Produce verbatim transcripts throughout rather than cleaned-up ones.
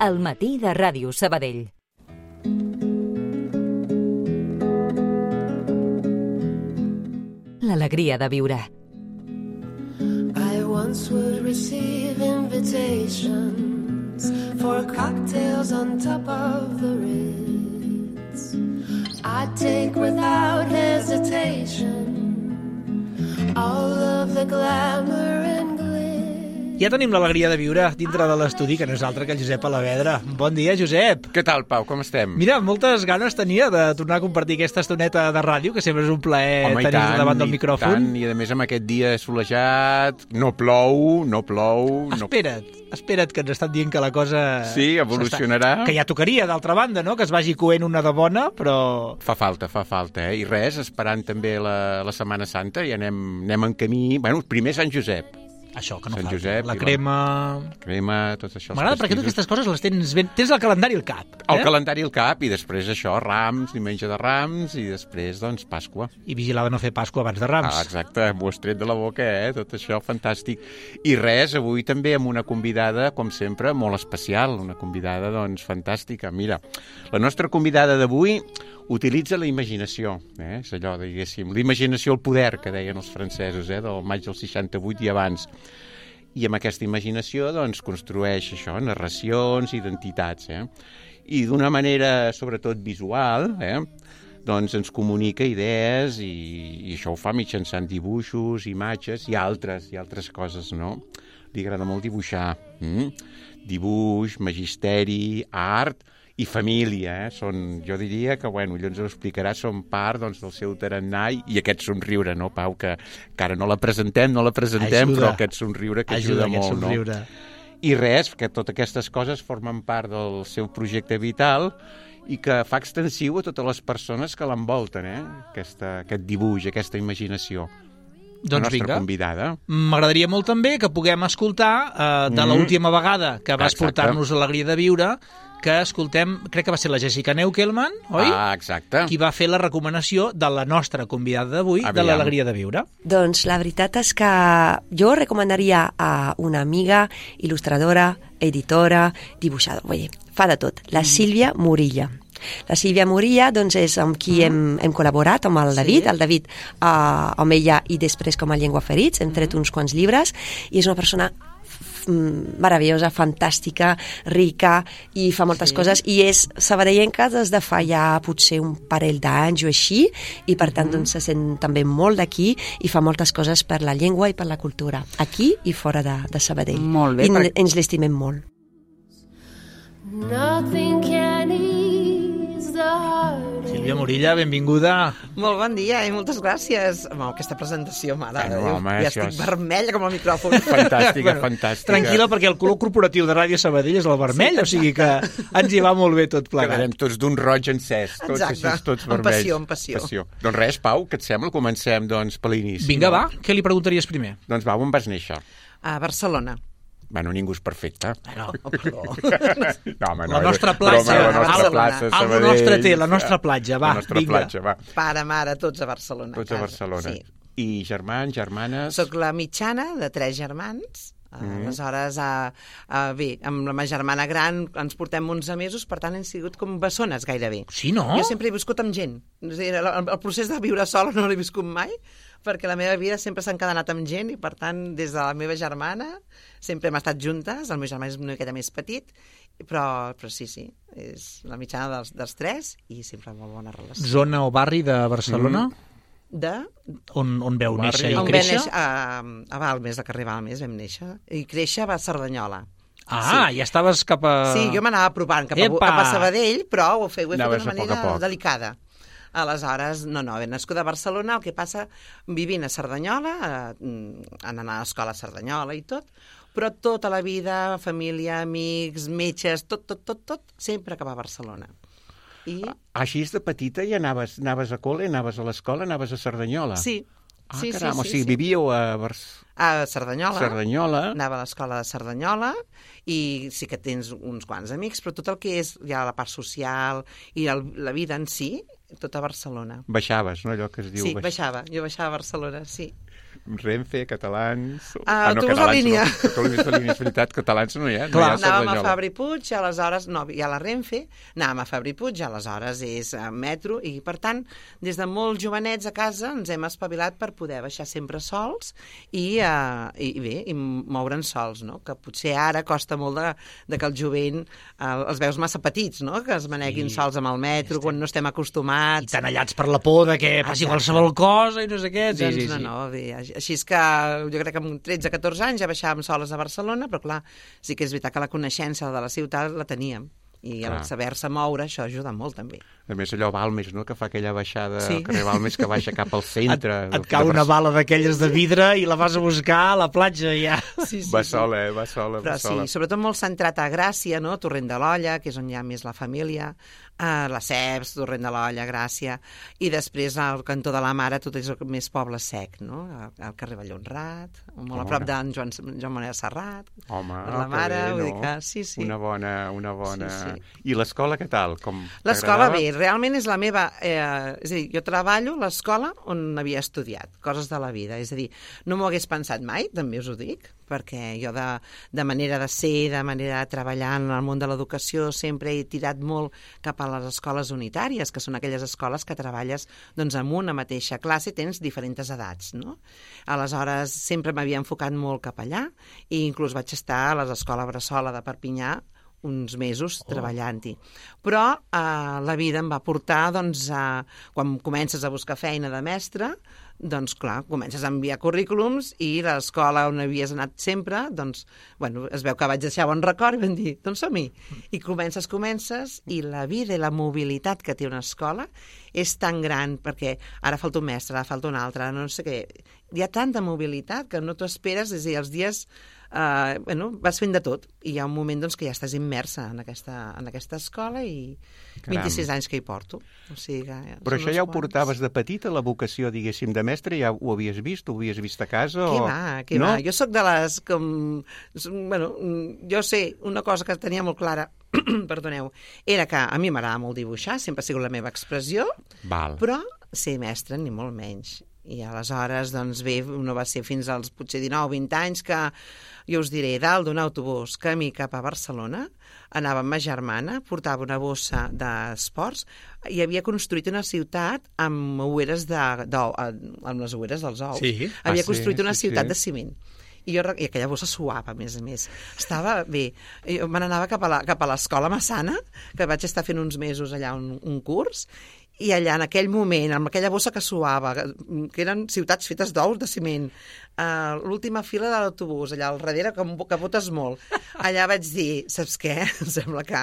al matí de Ràdio Sabadell. L'alegria de viure. I once would receive invitations for cocktails on top of the Ritz. I'd take without hesitation all of the glamour and glitz. Ja tenim l'alegria de viure dintre de l'estudi, que no és altre que el Josep Alavedra. Bon dia, Josep. Què tal, Pau? Com estem? Mira, moltes ganes tenia de tornar a compartir aquesta estoneta de ràdio, que sempre és un plaer Home, tenir-te davant del i micròfon. Tant, i a més amb aquest dia solejat, no plou, no plou... Espera't, no... espera't, que ens estan dient que la cosa... Sí, evolucionarà. Que ja tocaria, d'altra banda, no? Que es vagi coent una de bona, però... Fa falta, fa falta, eh? I res, esperant també la, la Setmana Santa, i anem, anem en camí... Bueno, primer Sant Josep. Això, que no Sant falta. Josep, la crema... La crema, tot això. M'agrada perquè totes aquestes coses les tens ben... Tens el calendari al cap. El eh? calendari al cap, i després això, Rams, diumenge de Rams, i després, doncs, Pasqua. I vigilar de no fer Pasqua abans de Rams. Ah, exacte, m'ho has tret de la boca, eh? Tot això, fantàstic. I res, avui també amb una convidada, com sempre, molt especial, una convidada, doncs, fantàstica. Mira, la nostra convidada d'avui utilitza la imaginació, eh? És allò, diguéssim, l'imaginació al poder, que deien els francesos, eh? Del maig del seixanta-vuit i abans. I amb aquesta imaginació, doncs, construeix això, narracions, identitats, eh? I d'una manera, sobretot, visual, eh? Doncs ens comunica idees i, i això ho fa mitjançant dibuixos, imatges i altres, i altres coses, no? Li agrada molt dibuixar. Mm? Dibuix, magisteri, art i família, eh? Són, jo diria que, bueno, ella ens ho explicarà, són part, doncs, del seu tarannà i aquest somriure, no, Pau? Que, que ara no la presentem, no la presentem, ajuda. Però aquest somriure que ajuda, ajuda molt, somriure. No? I res, que totes aquestes coses formen part del seu projecte vital i que fa extensiu a totes les persones que l'envolten, eh? Aquesta, aquest dibuix, aquesta imaginació. Doncs la nostra vinga. Convidada. M'agradaria molt també que puguem escoltar eh, de mm. l'última vegada que vas exacte. portar-nos l'alegria de viure, que escoltem, crec que va ser la Jessica Neukelman, oi? Ah, exacte. Qui va fer la recomanació de la nostra convidada d'avui, de l'alegria de viure. Doncs la veritat és que jo recomanaria a una amiga, il·lustradora, editora, dibuixadora, vull dir, fa de tot, la Sílvia Morilla. La Sílvia Morilla doncs, és amb qui mm. hem, hem col·laborat, amb el David, sí. el David uh, amb ella i després com a Llengua Ferits, hem tret mm. uns quants llibres, i és una persona meravellosa, fantàstica, rica, i fa moltes sí. coses, i és sabadellenca des de fa ja potser un parell d'anys o així, i per tant mm. doncs, se sent també molt d'aquí i fa moltes coses per la llengua i per la cultura, aquí i fora de, de Sabadell. Molt bé. I per... ens l'estimem molt. Nothing can ease the heart. Sílvia Morilla, benvinguda. Molt bon dia i moltes gràcies. Home, aquesta presentació, mare de Déu, home, ja estic és... vermella com el micròfon. Fantàstica, bueno, fantàstica. Tranquil·la, perquè el color corporatiu de Ràdio Sabadell és el vermell, sí, o sigui que ens hi va molt bé tot plegat. Quedarem tots d'un roig encès, tots exacte. Així, tots amb vermells. passió, amb passió. passió. Doncs res, Pau, què et sembla? Comencem, doncs, per l'inici. Vinga, no? va, què li preguntaries primer? Doncs va, on vas néixer? A Barcelona. Bueno, ningú és perfecte. No, oh, perdó. No, home, no, la nostra platja. Broma, la nostra Barcelona. plaça, Algo nostre té, la nostra platja, va, la nostra vinga. platja, va. Pare, mare, tots a Barcelona. Tots a Barcelona. Sí. I germans, germanes... Soc la mitjana de tres germans. Mm. Aleshores, a, a, bé, amb la meva germana gran ens portem onze mesos, per tant hem sigut com bessones gairebé. Sí, no? Jo sempre he viscut amb gent. És a dir, el, el procés de viure sola no l'he viscut mai, perquè la meva vida sempre s'ha encadenat amb gent i, per tant, des de la meva germana sempre hem estat juntes. El meu germà és una miqueta més petit, però, però sí, sí, és la mitjana dels, dels tres i sempre molt bona relació. Zona o barri de Barcelona? Mm. De... On, on veu Barri. néixer i on créixer? néixer? A, a Balmes, a carrer Balmes vam néixer. I créixer va a Cerdanyola. Ah, sí. Ja estaves cap a... Sí, jo m'anava apropant cap a, cap a Sabadell, però ho, fe, ho he Anaves fet d'una a poc a manera poc. delicada. Aleshores, no, no, ben nascuda a Barcelona, el que passa, vivint a Cerdanyola, eh, anant a l'escola a Cerdanyola i tot, però tota la vida, família, amics, metges, tot, tot, tot, tot, sempre acaba a Barcelona. I... Així de petita i anaves, anaves a col·le, anaves a l'escola, anaves a Cerdanyola? Sí. Ah, sí, caram, sí, o sigui, sí. vivíeu a Barcelona. A Cerdanyola. Cerdanyola. Anava a l'escola de Cerdanyola i sí que tens uns quants amics, però tot el que és ja la part social i el, la vida en si, tot a Barcelona. Baixaves, no? Allò que es diu... Sí, baix... baixava. Jo baixava a Barcelona, sí. Renfe, catalans... Ah, autobús de línia. No, autobús de línia, és veritat, catalans no hi ha. No Clar. hi ha Anàvem a Cerdanyola. Fabri Puig, i aleshores, no, hi ha la Renfe, anàvem a Fabri Puig, i aleshores és a metro, i per tant, des de molt jovenets a casa ens hem espavilat per poder baixar sempre sols i, uh, i, i bé, i moure'ns sols, no? Que potser ara costa molt de, de que el jovent uh, els veus massa petits, no? Que es maneguin Sí. sols amb el metro, quan no estem I acostumats. tan allats per la por de que passi Exacte. qualsevol cosa i no sé què. Sí, Doncs sí, sí. no, no, bé, així és que jo crec que amb tretze catorze anys ja baixàvem soles a Barcelona, però clar, sí que és veritat que la coneixença de la ciutat la teníem. I el Clar. saber-se moure, això ajuda molt, també. A més, allò Balmes, no?, que fa aquella baixada Sí. al carrer Balmes que baixa cap al Et, centre. et cau de una Barcelona. bala d'aquelles de vidre i la vas a buscar a la platja ja. Sí, Va sola, eh? Va sola, Però va sola. sí, sobretot molt centrat a Gràcia, no? Torrent de l'Olla, que és on hi ha més la família, uh, la Ceps, Torrent de l'Olla, Gràcia, i després al cantó de la Mare tot és més poble sec, no? Al, al carrer Vallhonrat, molt Home. a prop d'en Joan, Joan Manel Serrat, Home, per la que Mare, bé, vull no? dir que sí, sí. Una bona... Una bona... Sí, I l'escola, què tal? Com L'escola, t'agradava? bé, realment és la meva... Eh, és a dir, jo treballo a l'escola on havia estudiat, coses de la vida. És a dir, no m'ho hagués pensat mai, també us ho dic, perquè jo de, de manera de ser, de manera de treballar en el món de l'educació, sempre he tirat molt cap a les escoles unitàries, que són aquelles escoles que treballes doncs, en una mateixa classe i tens diferents edats, no? Aleshores, sempre m'havia enfocat molt cap allà i inclús vaig estar a l'escola Bressola de Perpinyà uns mesos oh. treballant-hi. Però eh, la vida em va portar, doncs, a, quan comences a buscar feina de mestre, doncs, clar, comences a enviar currículums i l'escola on havies anat sempre, doncs, bueno, es veu que vaig deixar bon record i vam dir, doncs som-hi. I comences, comences, i la vida i la mobilitat que té una escola és tan gran, perquè ara falta un mestre, ara falta un altre, no sé què. Hi ha tanta mobilitat que no t'ho esperes, és a dir, els dies Uh, bueno, vas fent de tot i hi ha un moment doncs, que ja estàs immersa en aquesta, en aquesta escola i Caram. vint-i-sis anys que hi porto. O sigui que Però són això uns ja ho quants. portaves de petita, la vocació, diguéssim, de mestre? Ja ho havies vist? Ho havies vist a casa? Què o... va, què no? va? Jo sóc de les... Com, bueno, jo sé, una cosa que tenia molt clara, perdoneu, era que a mi m'agrada molt dibuixar, sempre ha sigut la meva expressió, Val. però ser mestre ni molt menys. I aleshores, doncs bé, no va ser fins als potser dinou vint anys que, jo us diré, dalt d'un autobús camí cap a Barcelona, anava amb ma germana, portava una bossa d'esports i havia construït una ciutat amb oueres de, d'ou, amb les oueres dels ous. Sí. Havia Ah, sí, construït una sí, ciutat sí. de ciment. I, jo, I aquella bossa suava, a més a més. Estava bé. Jo me n'anava cap a la- cap a l'escola Massana, que vaig estar fent uns mesos allà un, un curs, i allà en aquell moment, amb aquella bossa que suava, que, que eren ciutats fetes d'ous de ciment, uh, l'última fila de l'autobús, allà al darrere, que, que botes molt, allà vaig dir, saps què? Em sembla que,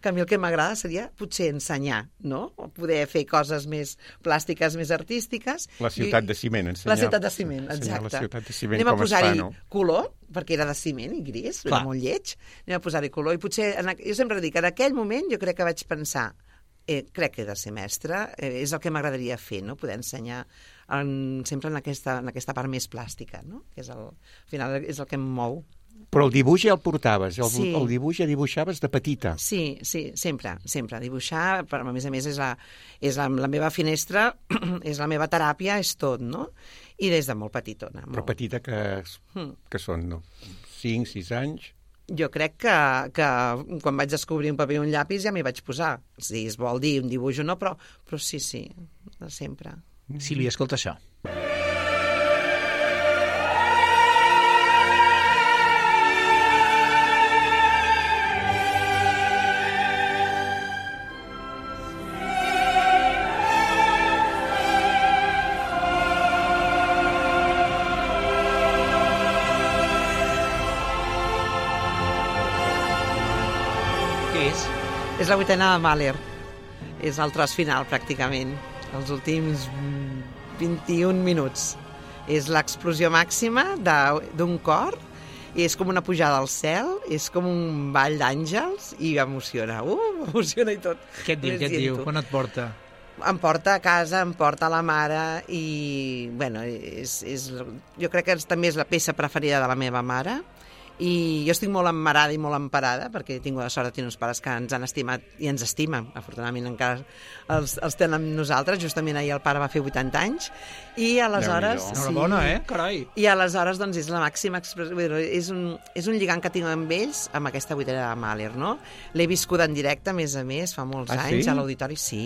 que a mi el que m'agrada seria potser ensenyar, no? O poder fer coses més plàstiques, més artístiques. La ciutat I- de ciment, ensenyar. La ciutat de ciment, ensenyar exacte. La ciutat de ciment, Anem a com es fa, posar-hi no? color, perquè era de ciment i gris, Clar. era molt lleig. Anem a posar-hi color i potser, en, aqu- jo sempre dic, en aquell moment jo crec que vaig pensar, eh, crec que he de ser mestra, eh, és el que m'agradaria fer, no? Poder ensenyar en, sempre en aquesta, en aquesta part més plàstica, no? Que és el, al final és el que em mou. Però el dibuix ja el portaves, el, Sí. el dibuix ja dibuixaves de petita. Sí, sí, sempre, sempre. Dibuixar, però a més a més és la, és la, la meva finestra, és la meva teràpia, és tot, no? I des de molt petitona. Però Molt. petita que, Hmm. que són, no? cinc, sis anys? Jo crec que, que quan vaig descobrir un paper i un llapis ja m'hi vaig posar. Si es vol dir un dibuix o no, però, però sí, sí, de sempre. Sílvia, escolta això. Què és? És la vuitena de Mahler. És el tros final, pràcticament. Els últims mm, vint-i-un minuts. És l'explosió màxima de- d'un cor i és com una pujada al cel, és com un ball d'àngels i emociona. Uh, m'emociona i tot. Què et diu, què et diu? Quan et porta? Em porta a casa, em porta a la mare i, bueno, és, és, jo crec que és, també és la peça preferida de la meva mare I jo estic molt emmarada i molt emparada, perquè he tingut la sort de tenir uns pares que ens han estimat i ens estimen. Afortunadament encara els, els tenen amb nosaltres. Justament ahir el pare va fer vuitanta anys. I aleshores... Déu-n'hi-do. Enhorabona, eh? Carai. I aleshores, doncs, és la màxima expressió... És un, és un lligam que tinc amb ells, amb aquesta vuitena de Mahler, no? L'he viscut en directe, a més a més, fa molts Ah, anys, sí? a l'auditori, sí,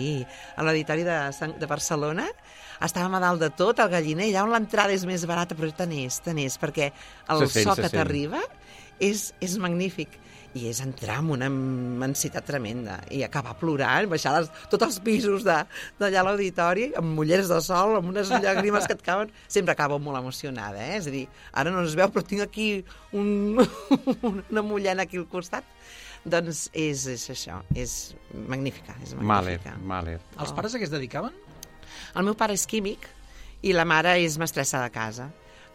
a l'auditori de, Sant- de Barcelona. Estàvem a dalt de tot, al Galliner, allà on l'entrada és més barata, però tant és, tant és, perquè el Se sent, so se que sent. t'arriba és, és magnífic. I és entrar amb una immensitat tremenda i acabar plorant, baixar les, tots els pisos de- d'allà a l'auditori amb ulleres de sol, amb unes llàgrimes que et cauen. Sempre acabo molt emocionada, eh? És a dir, ara no es veu, però tinc aquí un, una mullena aquí al costat. Doncs és, és això, és magnífica, és Mahler, magnífica. Mahler. Els pares a què es dedicaven? El meu pare és químic i la mare és mestressa de casa.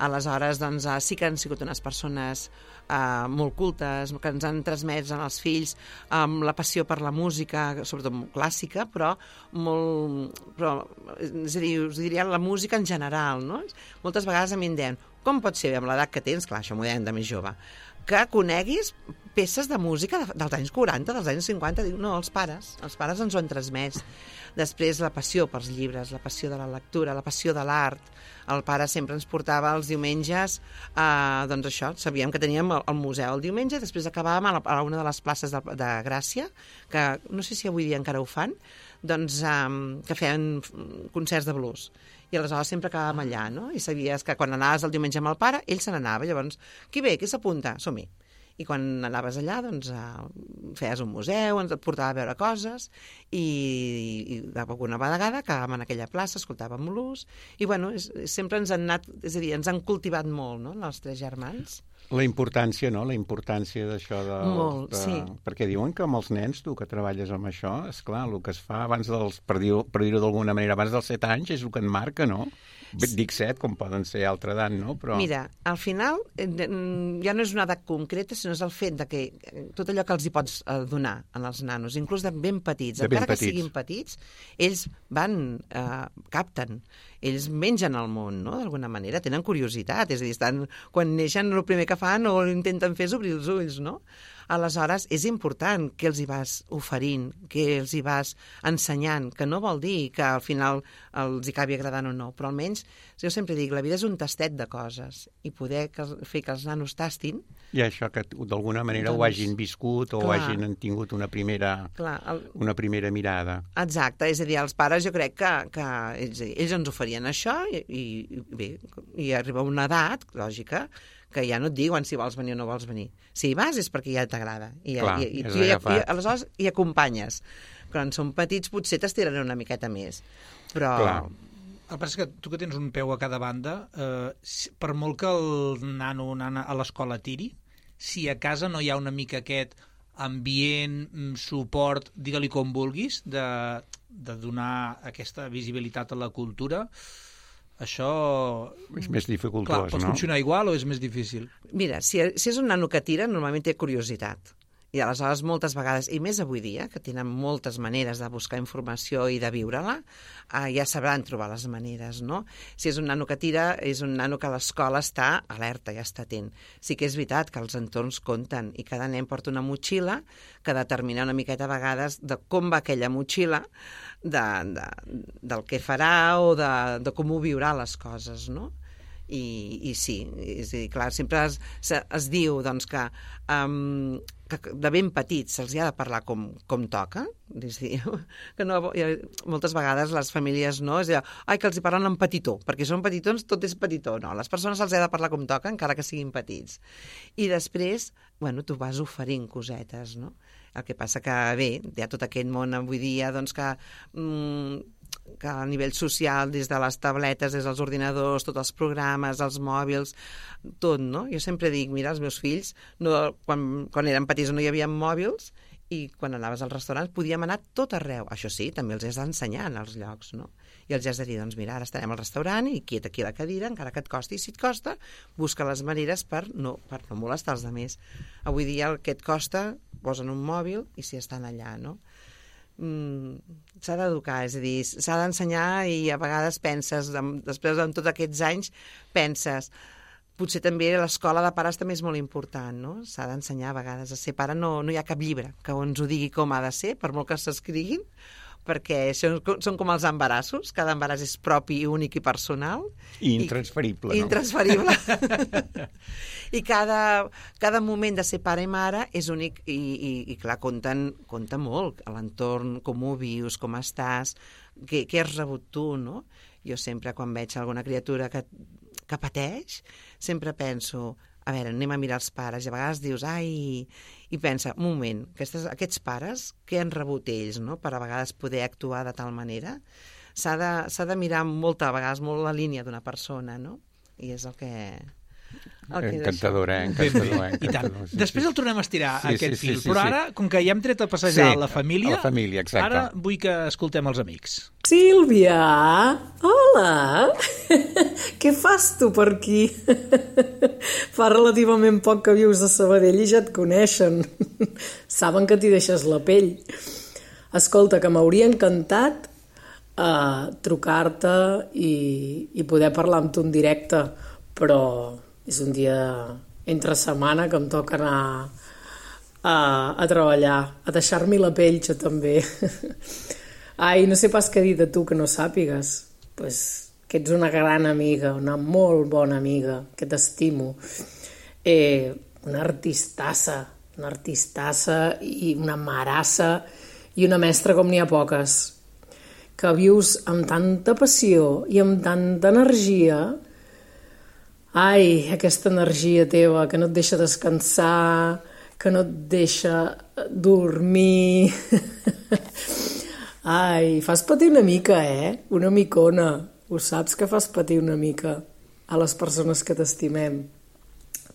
Aleshores, doncs, eh, sí que han sigut unes persones eh, molt cultes, que ens han transmès als fills amb la passió per la música, sobretot clàssica, però molt... Però, és a dir, us diria la música en general, no? Moltes vegades a mi em deien, com pot ser, amb l'edat que tens, clar, això m'ho deien de més jove, que coneguis peces de música de, dels anys quaranta, dels anys cinquanta. Diu, no, els pares, els pares ens ho han transmès. Després la passió pels llibres, la passió de la lectura, la passió de l'art. El pare sempre ens portava els diumenges, eh, doncs això, sabíem que teníem el, el museu el diumenge, després acabàvem a, la, a una de les places de, de Gràcia, que no sé si avui dia encara ho fan, doncs eh, que feien concerts de blues. I aleshores sempre acabàvem allà, no? I sabies que quan anaves el diumenge amb el pare, ell se n'anava. Llavors, qui ve, qui s'apunta? Som-hi. I quan anaves allà, doncs, eh, feies un museu, ens et portava a veure coses, i, i alguna vegada acabàvem en aquella plaça, escoltàvem l'ús, i bueno, és, sempre ens han anat, és a dir, ens han cultivat molt, no?, els tres germans. La importància, no?, la importància d'això de... Molt, de... sí. Perquè diuen que amb els nens, tu que treballes amb això, és clar, el que es fa abans dels, per dir-ho per dir d'alguna manera, abans dels set anys és el que et marca, no? Dic set, com poden ser altra edat, no? Però... Mira, al final eh, ja no és una edat concreta, sinó és el fet de que tot allò que els hi pots eh, donar als nanos, inclús de ben petits, De ben encara que petits. siguin petits, ells van, eh, capten, ells mengen el món, no?, d'alguna manera, tenen curiositat, és a dir, estan, quan neixen el primer que fan o intenten fer és obrir els ulls, no? Aleshores, és important que els hi vas oferint, que els hi vas ensenyant, que no vol dir que al final els hi acabi agradant o no, però almenys, jo sempre dic, la vida és un tastet de coses, i poder que, fer que els nanos tastin... I això que d'alguna manera Doncs, ho hagin viscut o clar. hagin tingut una primera, Clar, el, una primera mirada. Exacte, és a dir, els pares jo crec que, que ells, ells ens oferien això i, i bé, i arriba una edat, lògica, que ja no et diuen si vols venir o no vols venir. Si hi vas és perquè ja t'agrada. I, Clar, i, i, és tu ja, i, agafat. aleshores hi acompanyes. Quan són petits potser t'estiraran una miqueta més. Però... Clar. El que passa és que tu que tens un peu a cada banda, eh, si- per molt que el nano o nana a l'escola tiri, si a casa no hi ha una mica aquest ambient, mm, suport, digue-li com vulguis, de, de donar aquesta visibilitat a la cultura, això... És més Clar, dificultós, pots no? funcionar igual o és més difícil? Mira, si, si és un nano que tira, normalment té curiositat. I aleshores moltes vegades, i més avui dia, que tenen moltes maneres de buscar informació i de viure-la, eh, ja sabran trobar les maneres, no? Si és un nano que tira, és un nano que a l'escola està alerta, ja està atent. Sí que és veritat que els entorns compten i cada nen porta una motxilla que determina una miqueta a vegades de com va aquella motxilla, de, de, del que farà o de, de com ho viurà les coses, no? I, i sí, és a dir, clar, sempre es, se, es diu doncs, que, um, que de ben petits se'ls ha de parlar com, com toca, és a dir, que no, moltes vegades les famílies no, és a dir, ai, que els hi parlen en petitó, perquè són petitons, tot és petitó, no, les persones se'ls ha de parlar com toca, encara que siguin petits. I després, bueno, tu vas oferint cosetes, no? El que passa que, bé, hi ha tot aquest món avui dia, doncs, que... Mm, que a nivell social, des de les tabletes, des dels ordinadors, tots els programes, els mòbils, tot, no? Jo sempre dic, mira, els meus fills, no, quan, quan eren petits no hi havia mòbils, i quan anaves als restaurants podíem anar tot arreu. Això sí, també els has d'ensenyar en els llocs, no? I els has de dir, doncs mira, ara estarem al restaurant i quiet aquí a la cadira, encara que et costi, i si et costa, busca les maneres per no, per no molestar els altres. Avui dia el que et costa, posen un mòbil i si estan allà, no? Mm, s'ha d'educar, és a dir, s'ha d'ensenyar i a vegades penses, després de tots aquests anys, penses, potser també l'escola de pares també és molt important, no? S'ha d'ensenyar a vegades a ser pare. No, no hi ha cap llibre que ens ho digui com ha de ser, per molt que s'escriguin, perquè són, són com els embarassos, cada embaràs és propi, únic i personal. I intransferible, i, no? Intransferible. I cada, cada moment de ser pare i mare és únic i, i, i clar, compten, compta molt a l'entorn, com ho vius, com estàs, què, què has rebut tu, no? Jo sempre, quan veig alguna criatura que, que pateix, sempre penso, a veure, anem a mirar els pares, i a vegades dius, ai, i pensa, un moment, aquestes, aquests pares, què han rebut ells, no?, per a vegades poder actuar de tal manera? S'ha de, s'ha de mirar molta, a vegades molt la línia d'una persona, no? I és el que... Encantadora, eh? Encantadora, I tant. sí, Després sí. el tornem a estirar, Sí, aquest sí, sí, fil. sí, Però sí. ara, com que ja hem tret a passejar Sí, la família, la família, exacte. ara vull que escoltem els amics. Sílvia, hola! Què fas tu per aquí? Fa relativament poc que vius a Sabadell i ja et coneixen. Saben que t'hi deixes la pell. Escolta, que m'hauria encantat uh, trucar-te i, i poder parlar amb tu en directe, però és un dia entre setmana que em toca anar a, a treballar, a deixar-m'hi la pell, jo també. Ai, no sé pas què dir de tu que no sàpigues. Pues que ets una gran amiga, una molt bona amiga, que t'estimo. Eh, una artistassa, una artistassa i una marassa i una mestra com n'hi ha poques. Que vius amb tanta passió i amb tanta energia. Ai, aquesta energia teva que no et deixa descansar, que no et deixa dormir. Ai, fas patir una mica, eh? Una micona. Ho saps que fas patir una mica a les persones que t'estimem.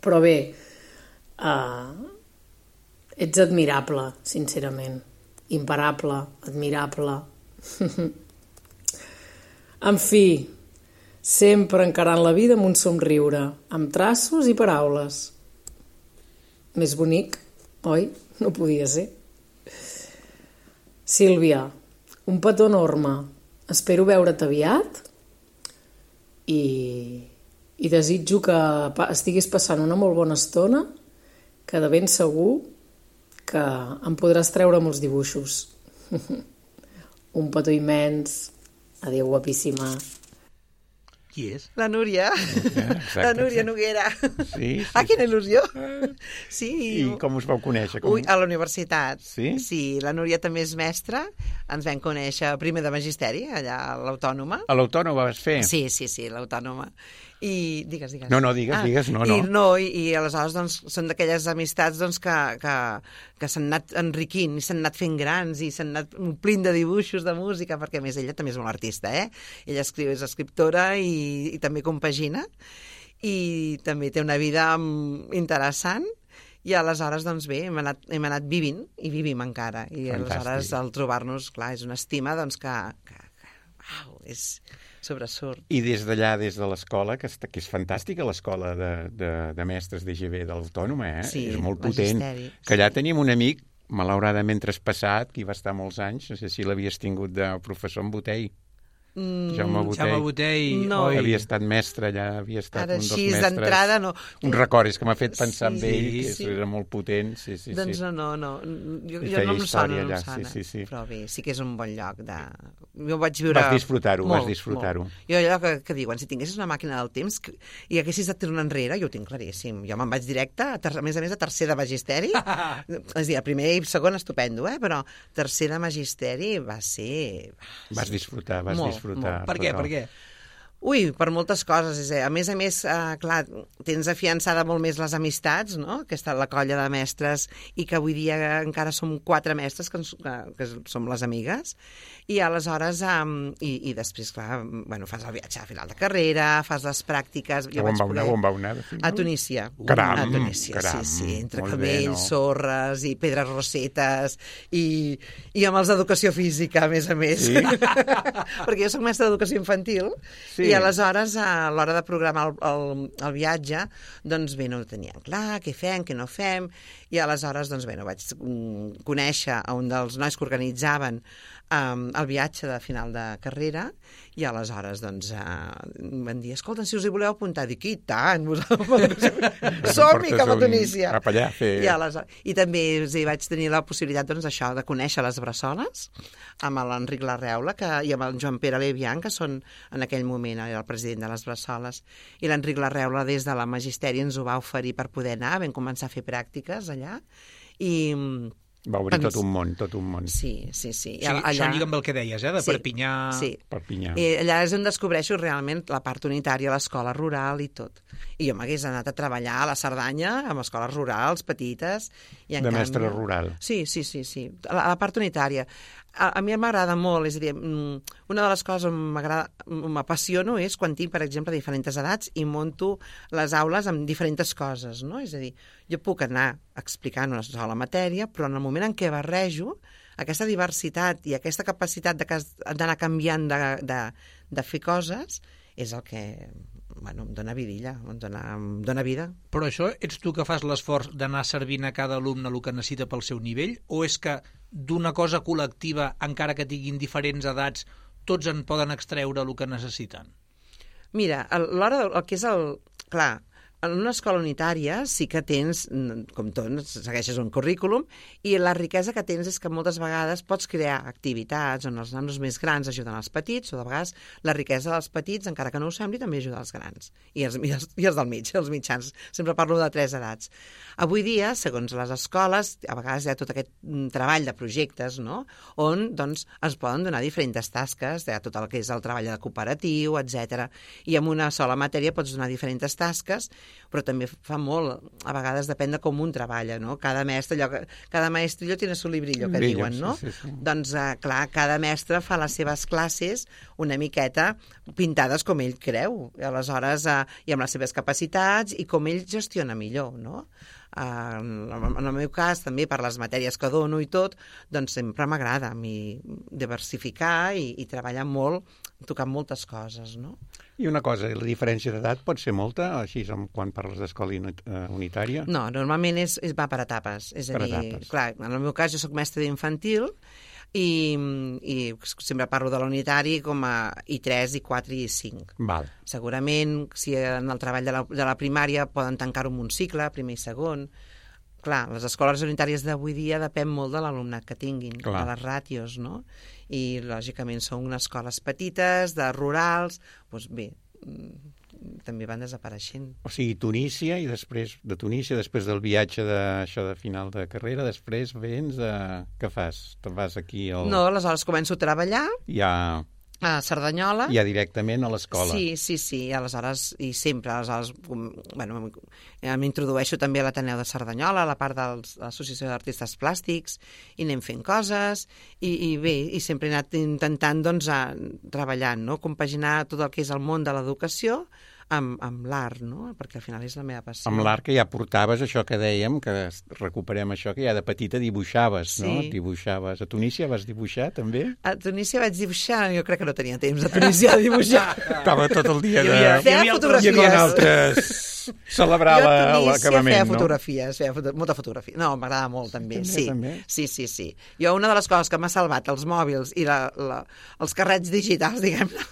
Però bé, uh, ets admirable, sincerament. Imparable, admirable. En fi, sempre encarant la vida amb un somriure, amb traços i paraules. Més bonic, oi? No podia ser. Sílvia, un petó enorme. Espero veure't aviat i, i desitjo que estiguis passant una molt bona estona, que de ben segur que em podràs treure molts dibuixos. Un petó immens. Adéu, guapíssima. Qui és? La Núria. Exacte, La Núria exacte. Noguera. Sí, sí, Ah, quina sí. il·lusió. Sí. I com us vau conèixer? Com... Ui, a la universitat. Sí? Sí, la Núria també és mestra. Ens vam conèixer primer de magisteri, allà a l'Autònoma. A l'Autònoma vas fer? Sí, sí, sí, l'Autònoma. I digues, digues. No, no, digues, digues, no, no. I, no, i, i aleshores doncs, són d'aquelles amistats doncs, que, que, que s'han anat enriquint i s'han anat fent grans i s'han anat omplint de dibuixos, de música, perquè a més ella també és molt artista, eh? Ella escriu, és escriptora i, i també compagina i també té una vida mm, interessant. I aleshores, doncs bé, hem anat, hem anat vivint i vivim encara. I Fantàstic. aleshores, al trobar-nos, clar, és una estima doncs, que, que, que uau, és sobresurt. I des d'allà, des de l'escola, que, està, que és fantàstica l'escola de, de, de mestres d'E G B de l'Autònoma, eh? Sí, és molt potent. magisteri, Que allà sí. tenim un amic, malauradament traspassat, que hi va estar molts anys, no sé si l'havies tingut de professor en Botell. Mm, Jaume Botell. Jaume Botell, No. oi? Havia estat mestre allà, havia estat Ara un dels així, mestres. d'entrada, no. Un record, és que m'ha fet pensar Sí, en ell, que sí. era molt potent. Sí, sí, Doncs sí. no, no, no. Jo, I jo feia no em sona, història no em allà, sona. sí, sí, sí. Però bé, sí que és un bon lloc de... Jo vaig viure... Vas disfrutar-ho, vas disfrutar-ho. Molt. Jo allò que, que diuen, si tinguessis una màquina del temps que, i haguessis de tornar enrere, jo ho tinc claríssim. Jo me'n vaig directe, a, ter, a més a més, a tercer de magisteri. És a dir, a primer i segon estupendo, eh? Però tercer de magisteri va ser... Vas disfrutar, vas Molt, disfrutar. molt. Per què, total. per què? Ui, per moltes coses. És, a més a més, eh, clar, tens afiançada molt més les amistats, no?, que està la colla de mestres i que avui dia encara som quatre mestres que, ens, que, que som les amigues. I aleshores, um, i, i després, clar, bueno, fas el viatge a final de carrera, fas les pràctiques... Jo On vaig va poder... anar, on va anar? de final? A Tunísia. Caram, a Tunísia, caram, sí, sí, entre molt bé, camells, no? sorres i pedres rosetes i, i amb els d'educació física, a més a més. Sí? Perquè jo soc mestra d'educació infantil Sí? I aleshores, a l'hora de programar el, el, el viatge, doncs bé, no ho teníem clar, què fem, què no fem, i aleshores, doncs bé, no vaig conèixer a un dels nois que organitzaven um, el viatge de final de carrera, i aleshores, doncs, uh, van dir, escolta, si us hi voleu apuntar, dic, i tant, som-hi cap a Tunísia. Cap allà, fer... I, aleshores, I també sí, vaig tenir la possibilitat, doncs, això, de conèixer les Bressoles, amb l'Enric Larreula que, i amb el Joan Pere Levian, que són en aquell moment era el president de les Bressoles, i l'Enric Larreula des de la Magisteri ens ho va oferir per poder anar, vam començar a fer pràctiques allà, i... Va obrir tot un món, tot un món. Sí, sí, sí. O sigui, allà... Això lliga amb el que deies, eh? De sí, Perpinyà... Sí, Perpinyà. I allà és on descobreixo realment la part unitària, l'escola rural i tot. I jo m'hagués anat a treballar a la Cerdanya, amb escoles rurals, petites... I en de canvi... mestre rural. Sí, sí, sí, sí. La, la part unitària. A, a mi m'agrada molt, és a dir, una de les coses on m'apassiono és quan tinc, per exemple, diferents edats i monto les aules amb diferents coses, no? És a dir, jo puc anar explicant una sola matèria, però en el moment en què barrejo, aquesta diversitat i aquesta capacitat d'anar canviant de, de, de fer coses és el que... Bueno, em dóna vidilla, em dóna, em dóna vida. Però això ets tu que fas l'esforç d'anar servint a cada alumne el que necessita pel seu nivell, o és que d'una cosa col·lectiva, encara que tinguin diferents edats, tots en poden extreure el que necessiten? Mira, a l'hora del el que és el... Clar, en una escola unitària sí que tens, com tot, segueixes un currículum, i la riquesa que tens és que moltes vegades pots crear activitats on els nanos més grans ajuden els petits, o de vegades la riquesa dels petits, encara que no ho sembli, també ajuda els grans. I els, i els, i els del mig, els mitjans. Sempre parlo de tres edats. Avui dia, segons les escoles, a vegades hi ha tot aquest treball de projectes, no?, on doncs, es poden donar diferents tasques, hi ha tot el que és el treball de cooperatiu, etcètera. I en una sola matèria pots donar diferents tasques, però també fa molt, a vegades depèn de com un treballa, no? Cada mestre, allò, cada maestrillo tiene su librillo, que Brillo, diuen, no? Sí, sí, sí. Doncs, eh, clar, cada mestre fa les seves classes una miqueta pintades com ell creu, i aleshores, eh, i amb les seves capacitats, i com ell gestiona millor, no? Uh, en el meu cas, també per les matèries que dono i tot, doncs sempre m'agrada a mi diversificar i, i treballar molt, tocar moltes coses, no? I una cosa, la diferència d'edat pot ser molta, així quan parles d'escola unitària? No, normalment és, és, va per etapes. És a per dir, etapes. Clar, en el meu cas jo soc mestre d'infantil i, i sempre parlo de l'unitari com a I tres, I quatre i I cinc. Val. Segurament, si en el treball de la, de la primària poden tancar-ho en un cicle, primer i segon. Clar, les escoles unitàries d'avui dia depèn molt de l'alumnat que tinguin, Clar. de les ràtios, no? I, lògicament, són unes escoles petites, de rurals, doncs bé, també van desapareixent. O sigui, Tunísia, i després de Tunísia, després del viatge de, això de final de carrera, després vens a... Què fas? Te'n vas aquí al... No, aleshores començo a treballar Ja... a Cerdanyola. Ja directament a l'escola. Sí, sí, sí, i aleshores, i sempre, aleshores, bueno, m'introdueixo també a l'Ateneu de Cerdanyola, a la part de l'Associació d'Artistes Plàstics, i anem fent coses, i, i bé, i sempre he anat intentant, doncs, a, treballant, no?, compaginar tot el que és el món de l'educació amb, amb l'art, no?, perquè al final és la meva passió. Amb l'art que ja portaves això que dèiem, que recuperem això, que ja de petita dibuixaves, Sí. no? Dibuixaves. A Tunísia vas dibuixar, també? A Tunísia vaig dibuixar, jo crec que no tenia temps a Tunísia de dibuixar. Estava tot el dia de... Hi havia- Feia altres- fotografies. I quan altres celebrar Jo a la- Tunísia l'acabament, feia no? fotografies, feia foto molta fotografia. No, m'agrada molt, també. També, sí. també? sí, sí, sí. Jo una de les coses que m'ha salvat els mòbils i la, la, els carrets digitals, diguem-ne,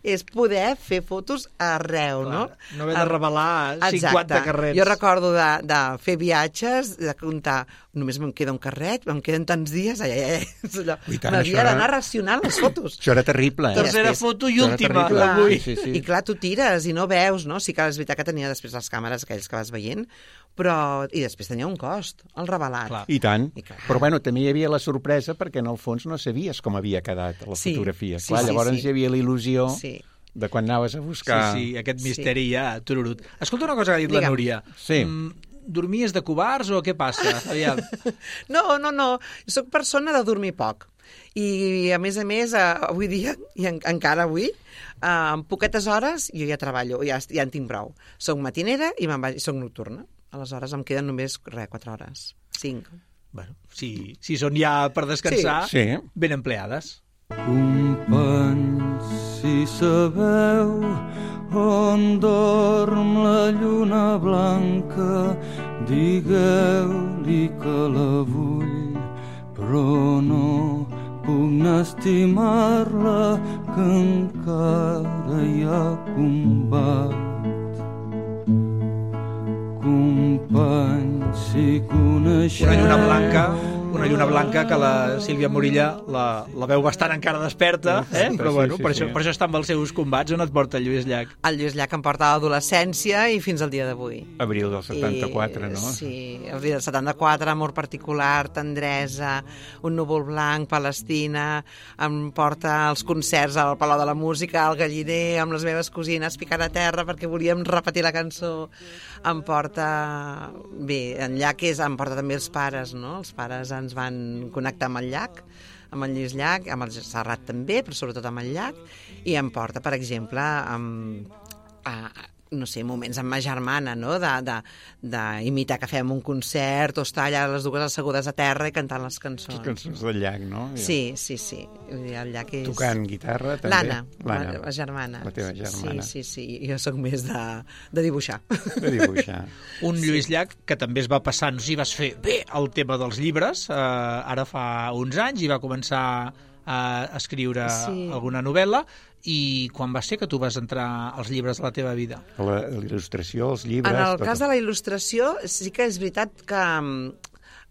és poder fer fotos arreu, no? No haver de revelar Exacte. cinquanta carrets. Jo recordo de, de fer viatges, de comptar, només me'n queda un carret, em queden tants dies, ai, ai, ai. Ui, tant, això M'havia era- d'anar racionant les fotos. Això era terrible, eh? Tercera després- foto i Això era última terrible. d'avui. Sí, sí. I clar, tu tires i no veus, no? Sí que és veritat que tenia després les càmeres aquells que vas veient, però... I després tenia un cost, el revelat. Clar. I tant. I clar. Però bueno, també hi havia la sorpresa perquè en el fons no sabies com havia quedat la Sí, fotografia. sí, Clar, sí, llavors sí. hi havia la il·lusió Sí. de quan anaves a buscar... Sí, sí, aquest misteri ja, tururut. Escolta una cosa que ha dit la Digue'm. Núria. Sí. Mm, dormies de covards o què passa? Aviam. No, no, no. Soc persona de dormir poc. I, a més a més, eh, avui dia, i en, encara avui, eh, en poquetes hores jo ja treballo, ja, ja en tinc prou. Soc matinera i me'n vaig, soc nocturna. Aleshores em queden només, res, quatre hores. Cinc. Bueno, si, si són ja per descansar, Sí. Sí. ben empleades. Un pensier Si sabeu on dorm la lluna blanca, digueu-li que la vull, però no puc estimar-la, que encara hi ha combat. Companys, si coneixeu... Una lluna blanca, una lluna blanca que la Sílvia Morilla la, la veu bastant encara desperta, eh? Però bueno, sí, sí, per, això, sí. per això està amb els seus combats. On et porta el Lluís Llach? El Lluís Llach em porta a l'adolescència i fins al dia d'avui. Abril del setanta-quatre, I, no? Sí, abril del setanta-quatre, amor particular, tendresa, un núvol blanc, Palestina, em porta als concerts al Palau de la Música, al Galliner, amb les meves cosines picant a terra perquè volíem repetir la cançó. Em porta... Bé, en Llach és, em porta també els pares, no? Els pares ens van connectar amb el Llach, amb el Lluís Llach, amb el Serrat també, però sobretot amb el Llach, i em porta, per exemple, amb, a, no sé, moments amb ma germana, no?, d'imitar que fem un concert o estar allà les dues assegudes a terra i cantant les cançons. Les cançons del Llach, no? Sí, sí, sí. El Llach és... Tocant guitarra, també? L'Anna, L'Anna, la, la germana. La teva germana. Sí, sí, sí. Jo sóc més de, de dibuixar. De dibuixar. Un Lluís Llach que també es va passar, no sé si vas fer bé el tema dels llibres, eh, ara fa uns anys, i va començar a escriure sí. alguna novel·la, i quan va ser que tu vas entrar als llibres de la teva vida? La, la il·lustració, els llibres... En el tot... cas de la il·lustració, sí que és veritat que...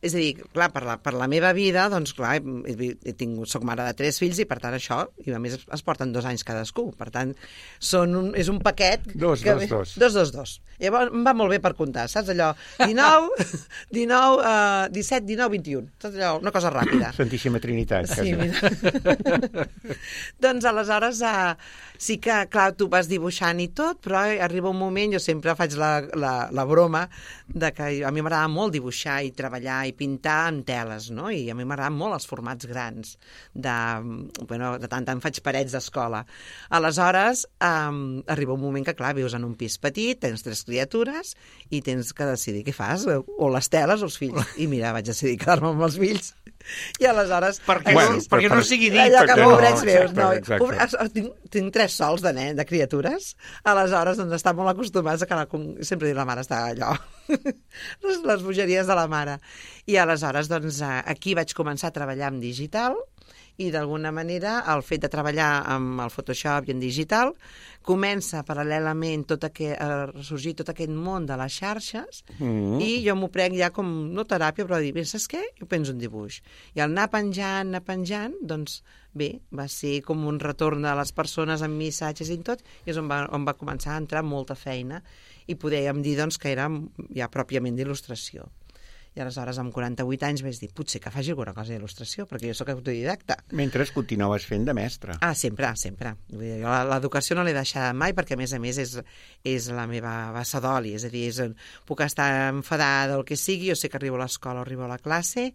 És a dir, clar, per la, per la meva vida, doncs, clar, he, he tingut, soc mare de tres fills i, per tant, això, i a més es porten dos anys cadascú. Per tant, són un, és un paquet... Dos, que, dos, dos. Dos, dos, dos. Llavors, em va molt bé per comptar, saps? Allò, dinou, dinou, uh, disset, dinou, vint-i-un. Tot allò, una cosa ràpida. Santíssima Trinitat. Sí, mira. Doncs, aleshores, uh, sí que, clar, tu vas dibuixant i tot, però arriba un moment, jo sempre faig la, la, la broma de que a mi m'agrada molt dibuixar i treballar i pintar en teles, no? I a mi m'agraden molt els formats grans. De, bueno, de tant en faig parets d'escola. Aleshores, um, arriba un moment que, clar, vius en un pis petit, tens tres criatures i tens que decidir què fas, o les teles o els fills. I mira, vaig decidir quedar-me amb els fills. I aleshores... Perquè, bueno, no, perquè per, no sigui dit. Allò que pobrets no, meus. No, exacte. Pobre, tinc, tinc tres sols de nen, de criatures. Aleshores, doncs, estan molt acostumats a que la, sempre diu la mare està allò. les, les bogeries de la mare. I aleshores, doncs, aquí vaig començar a treballar en digital i d'alguna manera el fet de treballar amb el Photoshop i en digital comença paral·lelament tot aquest, a sorgir tot aquest món de les xarxes mm. i jo m'ho prenc ja com, no teràpia, però dir, saps què? Jo penso un dibuix. I al anar penjant, anar penjant, doncs bé, va ser com un retorn a les persones amb missatges i tot, i és on va, on va començar a entrar molta feina i podíem dir doncs, que era ja pròpiament d'il·lustració. I aleshores, amb quaranta-vuit anys, vaig dir, potser que faci alguna cosa d'il·lustració, perquè jo sóc autodidacta. Mentre continuaves fent de mestre. Ah, sempre, sempre. Vull dir, jo l'educació no l'he deixat mai, perquè, a més a més, és, és la meva bassa d'oli. És a dir, és, puc estar enfadada o el que sigui, jo sé que arribo a l'escola o arribo a la classe,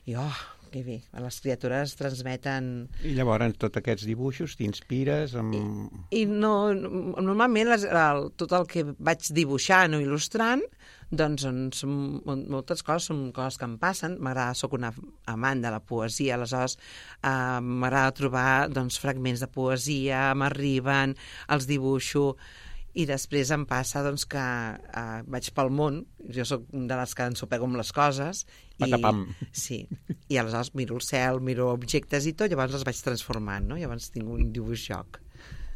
i, oh, que bé, les criatures transmeten... I llavors, tots aquests dibuixos, t'inspires amb... I, i no, normalment, les, el, tot el que vaig dibuixant o il·lustrant, doncs són, moltes coses són coses que em passen. M'agrada, soc una amant de la poesia, aleshores eh, m'agrada trobar doncs, fragments de poesia, m'arriben, els dibuixo, i després em passa doncs, que eh, vaig pel món, jo sóc de les que ensopego amb les coses, i, sí, i aleshores miro el cel, miro objectes i tot, llavors els vaig transformant, no? Llavors tinc un dibuix joc.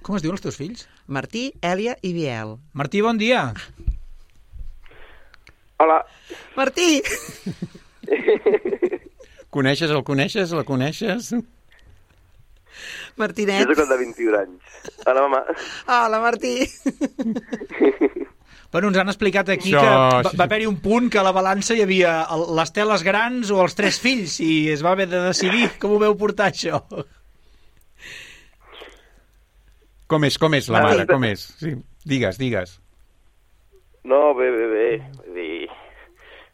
Com es diuen els teus fills? Martí, Èlia i Biel. Martí, bon dia. Hola. Martí! Coneixes, el coneixes, la coneixes? Martinet. Jo soc el de vint-i-un anys. Hola, mama. Hola, Martí. Bueno, ens han explicat aquí Això, que va, sí. va haver-hi un punt que a la balança hi havia el, les teles grans o els tres fills i es va haver de decidir. Com ho veu portar, això? Com és, com és la mare, com és? Sí, digues, digues. No, bé, bé, bé. Vull dir,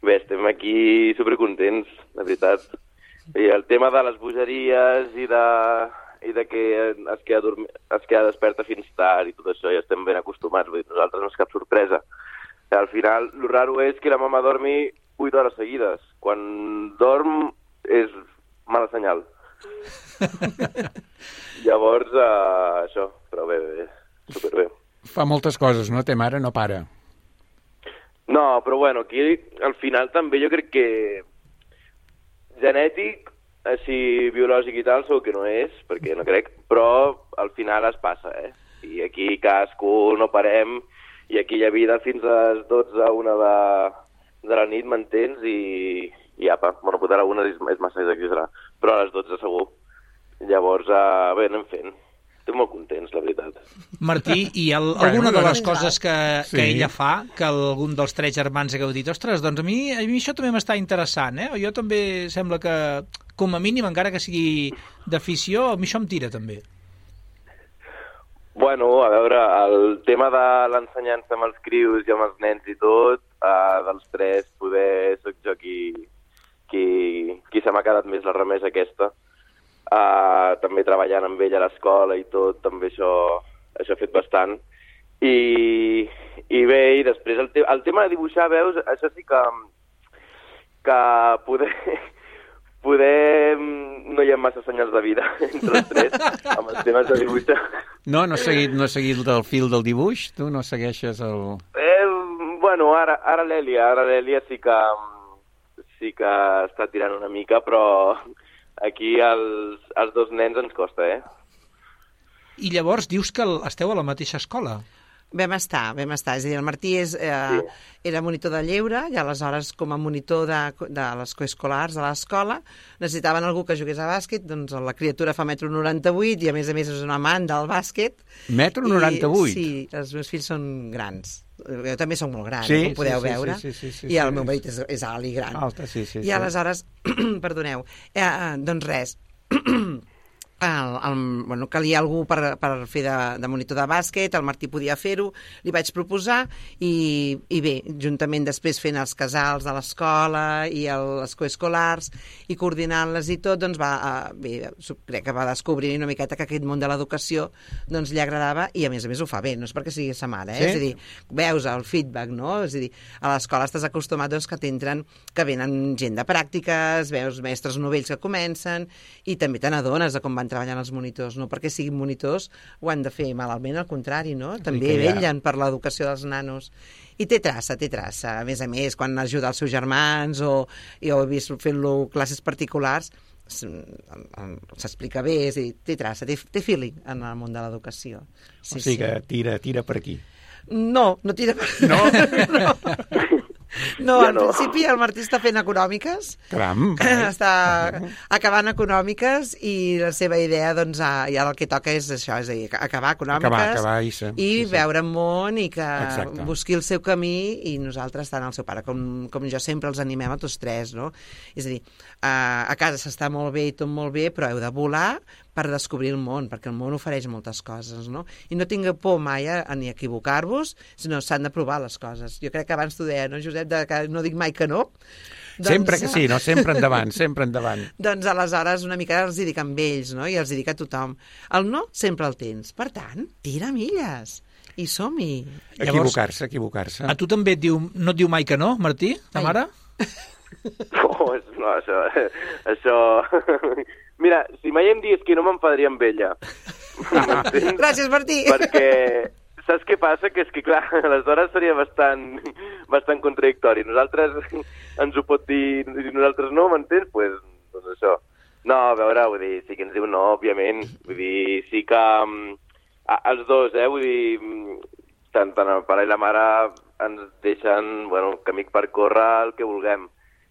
bé, estem aquí supercontents, la veritat. I el tema de les bogeries i de, i de que es queda, dormi, es queda desperta fins tard i tot això, ja estem ben acostumats. Vull dir, nosaltres no és cap sorpresa. I al final, el raro és que la mama dormi vuit hores seguides. Quan dorm és mala senyal. Llavors, uh, això, però bé, fa moltes coses, no? Té mare, no para. No, però bueno, aquí al final també jo crec que genètic, així biològic i tal, segur que no és, perquè no crec, però al final es passa, eh? I aquí cadascú no parem, i aquí hi ha vida fins a les dotze, una de, de la nit, m'entens? I, i apa, bueno, potser a la una és, és massa exagerar, però a les dotze segur. Llavors, uh, bé, anem fent. Estic molt contents, la veritat. Martí, hi ha Bueno, alguna de no, les coses que, Sí. que ella fa, que algun dels tres germans hagueu dit, ostres, doncs a mi, a mi això també m'està interessant, eh? O jo també sembla que, com a mínim, encara que sigui d'afició, a mi això em tira, també. Bueno, a veure, el tema de l'ensenyança amb els crius i amb els nens i tot, uh, dels tres, poder soc jo qui, qui, qui se m'ha quedat més la remesa aquesta. Uh, també treballant amb ella a l'escola i tot, també això, això ha fet bastant. I, i bé, i després el, te el tema de dibuixar, veus, això sí que, que poder, poder no hi ha massa senyals de vida entre els tres amb els temes de dibuixar. No, no has seguit, no has seguit el fil del dibuix? Tu no segueixes el... Eh, bueno, ara, ara l'Èlia, ara l'Èlia sí que, sí que està tirant una mica, però aquí als, als dos nens ens costa, eh? I llavors dius que esteu a la mateixa escola. Vam estar, vam estar. És a dir, el Martí és, eh, sí. era monitor de lleure i aleshores com a monitor de, de les coescolars de l'escola necessitaven algú que jugués a bàsquet, doncs la criatura fa metro noranta-vuit i a més a més és un amant del bàsquet. Metro noranta-vuit? I, sí, els meus fills són grans. Jo també soc molt gran, sí, com podeu sí, sí, veure. Sí, sí, sí, sí, I el sí. meu marit és, és alt i gran. Alta, sí, sí, I sí. aleshores, perdoneu, eh, doncs res, el, el, bueno, calia algú per, per fer de, de monitor de bàsquet, el Martí podia fer-ho, li vaig proposar i, i bé, juntament després fent els casals de l'escola i el, les coescolars i coordinant-les i tot, doncs va, eh, bé, crec que va descobrir una miqueta que aquest món de l'educació doncs li agradava i a més a més ho fa bé, no és perquè sigui sa mare, eh? Sí? És a dir, veus el feedback, no? És a dir, a l'escola estàs acostumat doncs, que t'entren, que venen gent de pràctiques, veus mestres novells que comencen i també te n'adones de com van treballant els monitors, no perquè siguin monitors ho han de fer malament, al contrari, no? També ja. vetllen per l'educació dels nanos. I té traça, té traça. A més a més, quan ajuda els seus germans o jo he vist fent-lo classes particulars, s'explica bé, és a dir, té traça, té, té feeling en el món de l'educació. Sí, O sigui que sí. tira, tira per aquí. No, no tira per... No? no. No, Ja en no. principi el Martí està fent econòmiques, Caram. està acabant econòmiques i la seva idea, doncs, ja el que toca és això, és a dir, acabar econòmiques Acabar, acabar, Issa. i Sí, sí. veure el món i que Exacte. busqui el seu camí i nosaltres tant el seu pare com, com jo sempre els animem a tots tres, no? És a dir, a, a casa s'està molt bé i tot molt bé, però heu de volar per descobrir el món, perquè el món ofereix moltes coses, no? I no tingueu por mai a, a ni equivocar-vos, sinó s'han de provar les coses. Jo crec que abans t'ho deia, no, Josep, de que no dic mai que no. Sempre que sí, no? Sempre endavant, sempre endavant. Doncs aleshores una mica els hi dic amb ells, no? I els hi dic a tothom. El no sempre el tens. Per tant, tira milles. I som-hi. Equivocar-se, equivocar-se. A tu també et diu, no et diu mai que no, Martí, ta Ai. mare? No, no, això... això... Mira, si mai em digués que no m'enfadaria amb ella. M'entens? Gràcies, Martí. Perquè saps què passa? Que és que, clar, aleshores seria bastant, bastant contradictori. Nosaltres ens ho pot dir i nosaltres no, m'entens? Pues, doncs això. No, a veure, vull dir, sí que ens diu no, òbviament. Vull dir, sí que um, els dos, eh, vull dir, tant, tant el pare i la mare ens deixen, bueno, camí per córrer el que vulguem.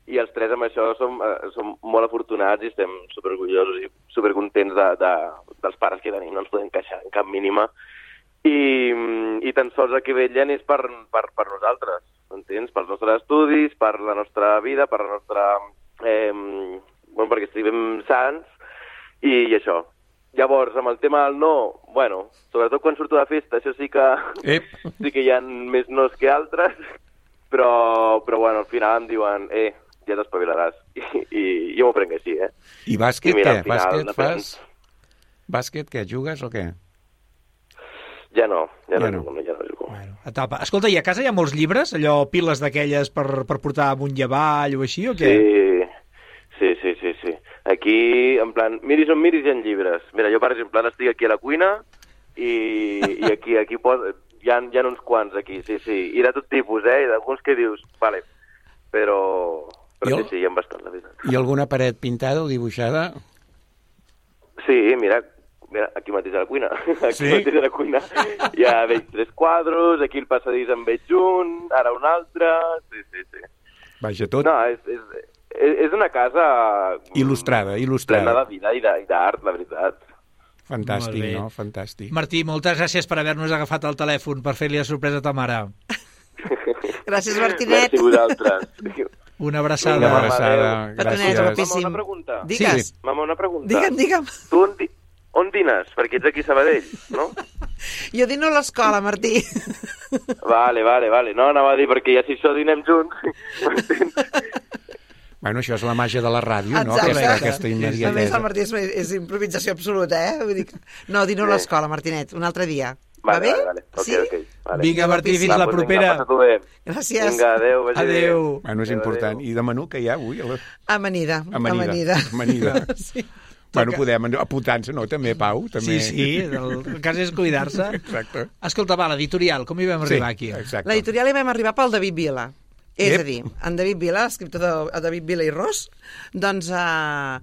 I els tres amb això som, eh, som molt afortunats i estem superorgullosos i supercontents de, de, dels pares que tenim, no ens podem queixar en cap mínima. I, i tan sols el que vetllen és per, per, per nosaltres, entens? Pels nostres estudis, per la nostra vida, per la nostra... Eh, bueno, perquè estiguem sants i, i això. Llavors, amb el tema del no, bueno, sobretot quan surto de festa, això sí que, Ep. sí que hi ha més nos que altres, però, però bueno, al final em diuen, eh, ja t'espavilaràs. I, i jo m'ho prenc així, eh? I bàsquet, I mira, què? al final Bàsquet depèn. fas? Bàsquet, què? Jugues o què? Ja no, ja, Ja ja no. no, no, ja no jugo. Bueno, etapa. Escolta, i a casa hi ha molts llibres? Allò, piles d'aquelles per, per portar amunt i avall o així, o què? Sí, sí, sí, sí, sí. Aquí, en plan, miris on miris hi ha llibres. Mira, jo, per exemple, ara estic aquí a la cuina i, i aquí, aquí pos... hi hi ha, hi ha uns quants aquí, sí, sí. I de tot tipus, eh? I d'alguns que dius, vale, però... Però el... sí, sí, hi ha bastant, la veritat. I alguna paret pintada o dibuixada? Sí, mira, mira, aquí mateix a la cuina. Aquí sí? mateix a la cuina. Ja veig tres quadros, aquí el passadís en veig un, ara un altre... Sí, sí, sí. Vaja, tot... No, és, és, és una casa... Il·lustrada, il·lustrada. Plena de vida i d'art, la veritat. Fantàstic, no? Fantàstic. Martí, moltes gràcies per haver-nos agafat el telèfon per fer-li la sorpresa a ta mare. Gràcies, Martinet. Merci a vosaltres. Una abraçada. Una abraçada, gràcies. Mama, una pregunta. Digues. Sí. Mama, una pregunta. Digue'm, digue'm. Tu on, di on dines? Perquè ets aquí a Sabadell, no? Jo dino a l'escola, Martí. Vale, vale, vale. No, anava a dir, perquè ja si això dinem junts... Bueno, això és la màgia de la ràdio, no? Exacte. Aquesta, aquesta immediatesa. A més, el Martí és, és improvisació absoluta, eh? Vull dir que... No, dino a l'escola, Martinet, un altre dia. Vale, Va bé? Vale, vale. Okay, sí? Okay, vale. Vinga, Martí, fins Va, la pues propera. Vinga, passa-t'ho bé. Gràcies. Vinga, adéu. Vagi adéu. Bé. Bueno, és adéu, important. adéu. I de menú que hi ha avui? A la... Amanida. Amanida. Amanida. Amanida. Sí. Bueno, podem apuntar-nos, no? També, Pau? També... Sí, sí, el, el cas és cuidar-se. Exacte. Escolta, va, l'editorial, com hi vam Sí, arribar aquí? exacte. L'editorial hi vam arribar pel David Vila. És Ep. a dir, en David Vila, escriptor de, de David Vila i Ros, doncs eh,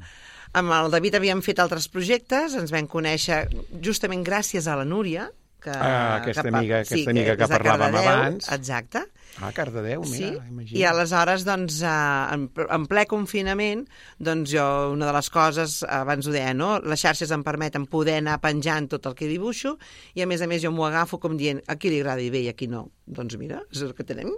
amb el David havíem fet altres projectes, ens vam conèixer justament gràcies a la Núria, que, Ah, aquesta que, amiga- aquesta sí, amiga que és de parlàvem Cardedeu, abans. Exacte. Ah, Cardedeu, Sí, mira, imagina. i aleshores, doncs, eh, en, en ple confinament, doncs jo, una de les coses, abans ho deia, no? Les xarxes em permeten poder anar penjant tot el que dibuixo, i a més a més jo m'ho agafo com dient, a qui li agradi bé i a qui no. Doncs mira, és el que tenim.